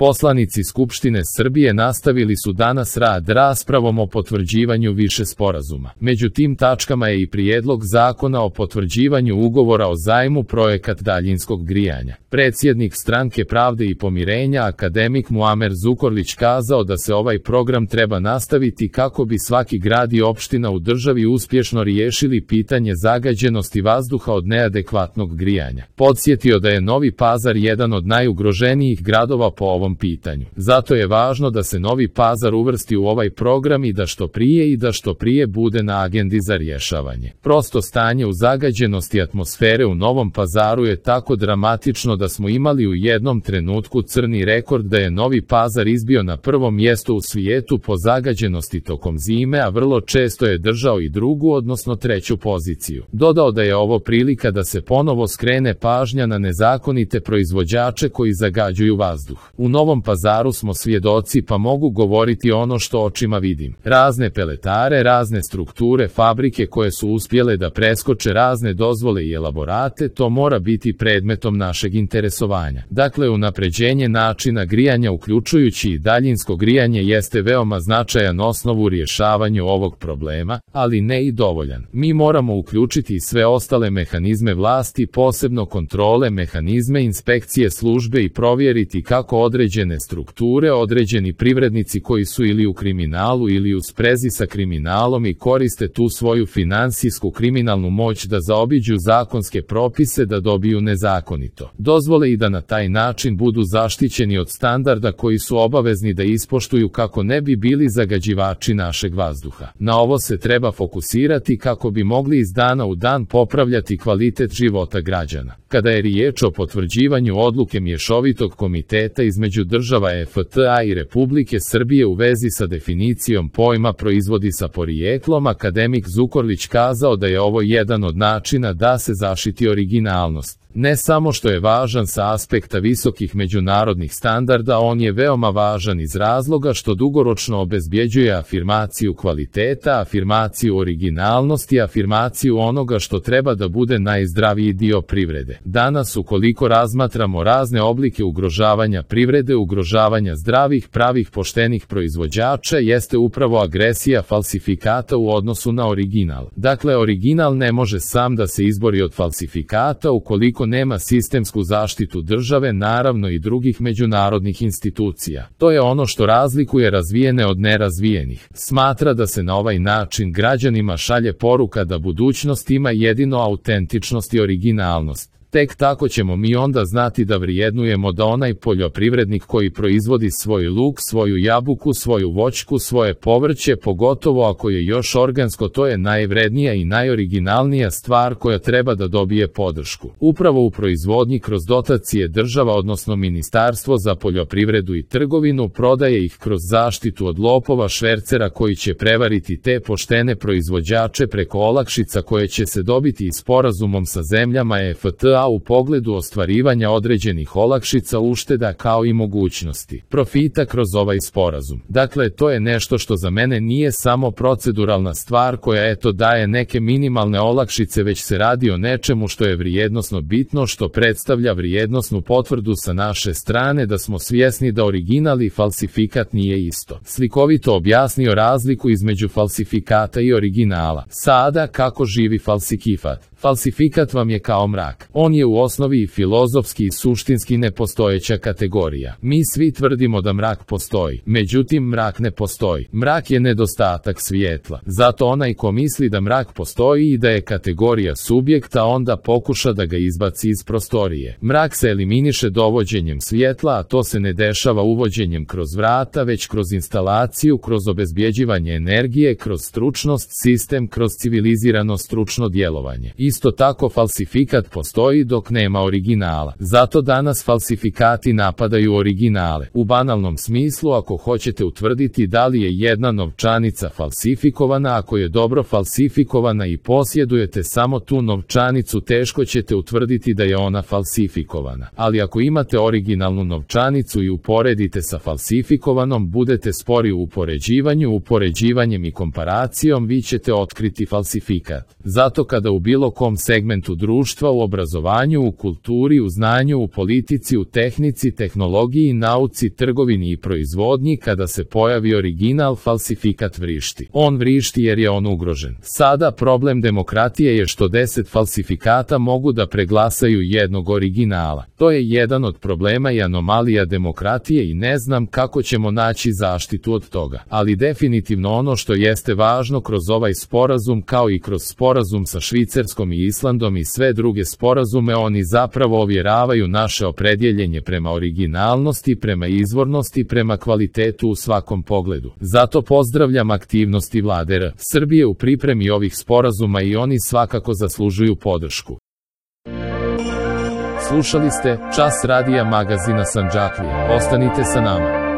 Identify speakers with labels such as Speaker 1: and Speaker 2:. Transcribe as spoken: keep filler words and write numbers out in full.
Speaker 1: Poslanici Skupštine Srbije nastavili su danas rad raspravom o potvrđivanju više sporazuma. Među tim tačkama je i prijedlog zakona o potvrđivanju ugovora o zajmu projekat daljinskog grijanja. Predsjednik Stranke pravde i pomirenja akademik Muamer Zukorlić kazao da se ovaj program treba nastaviti kako bi svaki grad i opština u državi uspješno riješili pitanje zagađenosti vazduha od neadekvatnog grijanja. Podsjetio da je Novi Pazar jedan od najugroženijih gradova po ovom pitanju. Zato je važno da se Novi Pazar uvrsti u ovaj program i da što prije i da što prije bude na agendi za rješavanje. Prosto stanje u zagađenosti atmosfere u Novom Pazaru je tako dramatično da smo imali u jednom trenutku crni rekord da je Novi Pazar izbio na prvo mjesto u svijetu po zagađenosti tokom zime, a vrlo često je držao i drugu, odnosno treću poziciju. Dodao da je ovo prilika da se ponovo skrene pažnja na nezakonite proizvođače koji zagađuju vazduh. U Novom Pazaru smo svjedoci, pa mogu govoriti ono što očima vidim. Razne peletare, razne strukture, fabrike koje su uspjele da preskoče razne dozvole i elaborate, to mora biti predmetom našeg interesovanja. Dakle, unapređenje načina grijanja uključujući i daljinsko grijanje jeste veoma značajan osnov u rješavanju ovog problema, ali ne i dovoljan. Mi moramo uključiti i sve ostale mehanizme vlasti, posebno kontrole, mehanizme inspekcije službe i provjeriti kako određene strukture, određeni privrednici koji su ili u kriminalu ili u sprezi sa kriminalom i koriste tu svoju finansijsku kriminalnu moć da zaobiđu zakonske propise, da dobiju nezakonito dozvole i da na taj način budu zaštićeni od standarda koji su obavezni da ispoštuju kako ne bi bili zagađivači našeg vazduha. Na ovo se treba fokusirati kako bi mogli iz dana u dan popravljati kvalitet života građana. Kada je riječ o potvrđivanju odluke Mješovitog komiteta između država E F T A i Republike Srbije u vezi sa definicijom pojma proizvodi sa porijeklom, akademik Zukorlić kazao da je ovo jedan od načina da se zaštiti originalnost. Ne samo što je važan sa aspekta visokih međunarodnih standarda, on je veoma važan iz razloga što dugoročno obezbjeđuje afirmaciju kvaliteta, afirmaciju originalnosti, afirmaciju onoga što treba da bude najzdraviji dio privrede. Danas, ukoliko razmatramo razne oblike ugrožavanja privrede, ugrožavanja zdravih, pravih, poštenih proizvođača, jeste upravo agresija falsifikata u odnosu na original. Dakle, original ne može sam da se izbori od falsifikata ukoliko nema sistemsku zaštitu države, naravno i drugih međunarodnih institucija. To je ono što razlikuje razvijene od nerazvijenih. Smatra da se na ovaj način građanima šalje poruka da budućnost ima jedino autentičnost i originalnost. Tek tako ćemo mi onda znati da vrijednujemo da onaj poljoprivrednik koji proizvodi svoj luk, svoju jabuku, svoju voćku, svoje povrće, pogotovo ako je još organsko, to je najvrednija i najoriginalnija stvar koja treba da dobije podršku. Upravo u proizvodnji kroz dotacije država, odnosno Ministarstvo za poljoprivredu i trgovinu, prodaje ih kroz zaštitu od lopova, švercera koji će prevariti te poštene proizvođače preko olakšica koje će se dobiti i sporazumom sa zemljama E F T A u pogledu ostvarivanja određenih olakšica, ušteda kao i mogućnosti profita kroz ovaj sporazum. Dakle, to je nešto što za mene nije samo proceduralna stvar koja eto daje neke minimalne olakšice, već se radi o nečemu što je vrijednosno bitno, što predstavlja vrijednosnu potvrdu sa naše strane da smo svjesni da original i falsifikat nije isto. Slikovito objasnio razliku između falsifikata i originala. Sada kako živi falsifikat? Falsifikat vam je kao mrak. On je u osnovi i filozofski i suštinski nepostojeća kategorija. Mi svi tvrdimo da mrak postoji, međutim mrak ne postoji. Mrak je nedostatak svjetla. Zato onaj ko misli da mrak postoji i da je kategorija subjekta, onda pokuša da ga izbaci iz prostorije. Mrak se eliminiše dovođenjem svjetla, a to se ne dešava uvođenjem kroz vrata, već kroz instalaciju, kroz obezbjeđivanje energije, kroz stručnost, sistem, kroz civilizirano stručno djelovanje. Isto tako falsifikat postoji dok nema originala. Zato danas falsifikati napadaju originale. U banalnom smislu, ako hoćete utvrditi da li je jedna novčanica falsifikovana, ako je dobro falsifikovana i posjedujete samo tu novčanicu, teško ćete utvrditi da je ona falsifikovana. Ali ako imate originalnu novčanicu i uporedite sa falsifikovanom, budete spori u upoređivanju, upoređivanjem i komparacijom vi ćete otkriti falsifikat. Zato kada u bilo kom segmentu društva, u obrazovanju, u kulturi, u znanju, u politici, u tehnici, tehnologiji, nauci, trgovini i proizvodnji, kada se pojavi original, falsifikat vrišti. On vrišti jer je on ugrožen. Sada problem demokratije je što deset falsifikata mogu da preglasaju jednog originala. To je jedan od problema i anomalija demokratije i ne znam kako ćemo naći zaštitu od toga. Ali definitivno ono što jeste važno kroz ovaj sporazum, kao i kroz sporazum sa Švicarskom i Islandom i sve druge sporazume, oni zapravo ovjeravaju naše opredjeljenje prema originalnosti, prema izvornosti, prema kvalitetu u svakom pogledu. Zato pozdravljam aktivnosti Vlade R. Srbije u pripremi ovih sporazuma i oni svakako zaslužuju podršku. Slušali ste Čas radija magazina Sandžaklije. Ostanite sa nama.